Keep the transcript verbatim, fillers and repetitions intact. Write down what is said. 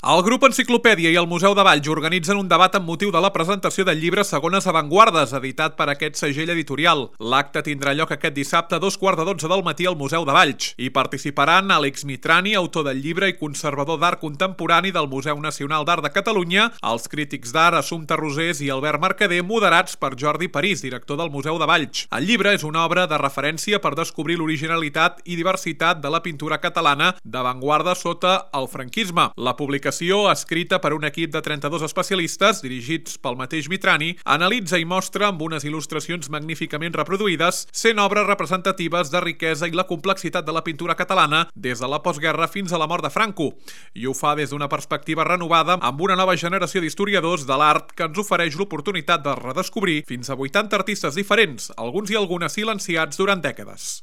El grup Enciclopèdia i el Museu de Valls organitzen un debat amb motiu de la presentació del llibre Segones avantguardes, editat per aquest segell editorial. L'acte tindrà lloc aquest dissabte a dos quarts de dotze del matí al Museu de Valls. Hi participaran Àlex Mitrani, autor del llibre i conservador d'art contemporani del Museu Nacional d'Art de Catalunya, els crítics d'art Assumpta Rosés i Albert Mercader, moderats per Jordi París, director del Museu de Valls. El llibre és una obra de referència per descobrir l'originalitat i diversitat de la pintura catalana d'avantguarda sota el franquisme. La publicació escrita per un equip de trenta-dos especialistes, dirigits pel mateix Mitrani, analitza i mostra amb unes il·lustracions magníficament reproduïdes cent obres representatives de riquesa i la complexitat de la pintura catalana des de la postguerra fins a la mort de Franco. I ho fa des d'una perspectiva renovada amb una nova generació d'historiadors de l'art que ens ofereix l'oportunitat de redescobrir fins a vuitanta artistes diferents, alguns i algunes silenciats durant dècades.